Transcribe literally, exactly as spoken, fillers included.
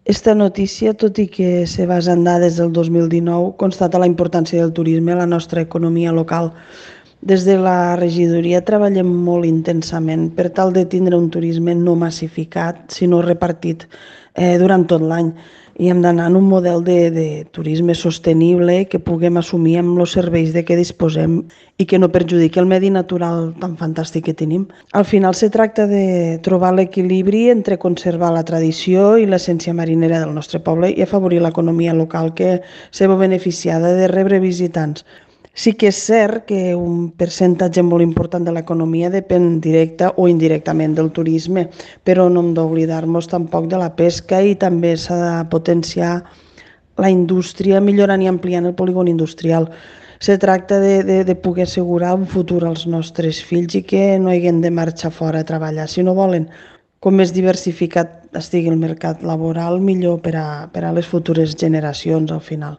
Esta notícia, tot i que se basa en dades del dos mil dinou, constata la importància del turisme a la nostra economia local. Des de la regidoria treballem molt intensament per tal de tindre un turisme no massificat, sinó repartit eh, durant tot l'any. I hem d'anar en un model de, de turisme sostenible que puguem assumir amb els serveis de què disposem i que no perjudiqui el medi natural tan fantàstic que tenim. Al final se tracta de trobar l'equilibri entre conservar la tradició i l'essència marinera del nostre poble i afavorir l'economia local que se veu beneficiada de rebre visitants. Sí que és cert que un percentatge molt important de l'economia depèn directa o indirectament del turisme, però no hem d'oblidar-nos tampoc de la pesca i també s'ha de potenciar la indústria millorant i ampliant el polígon industrial. Se tracta de, de, de poder assegurar un futur als nostres fills i que no hagin de marxar fora a treballar. Si no volen, com més diversificat estigui el mercat laboral, millor per a, per a les futures generacions al final.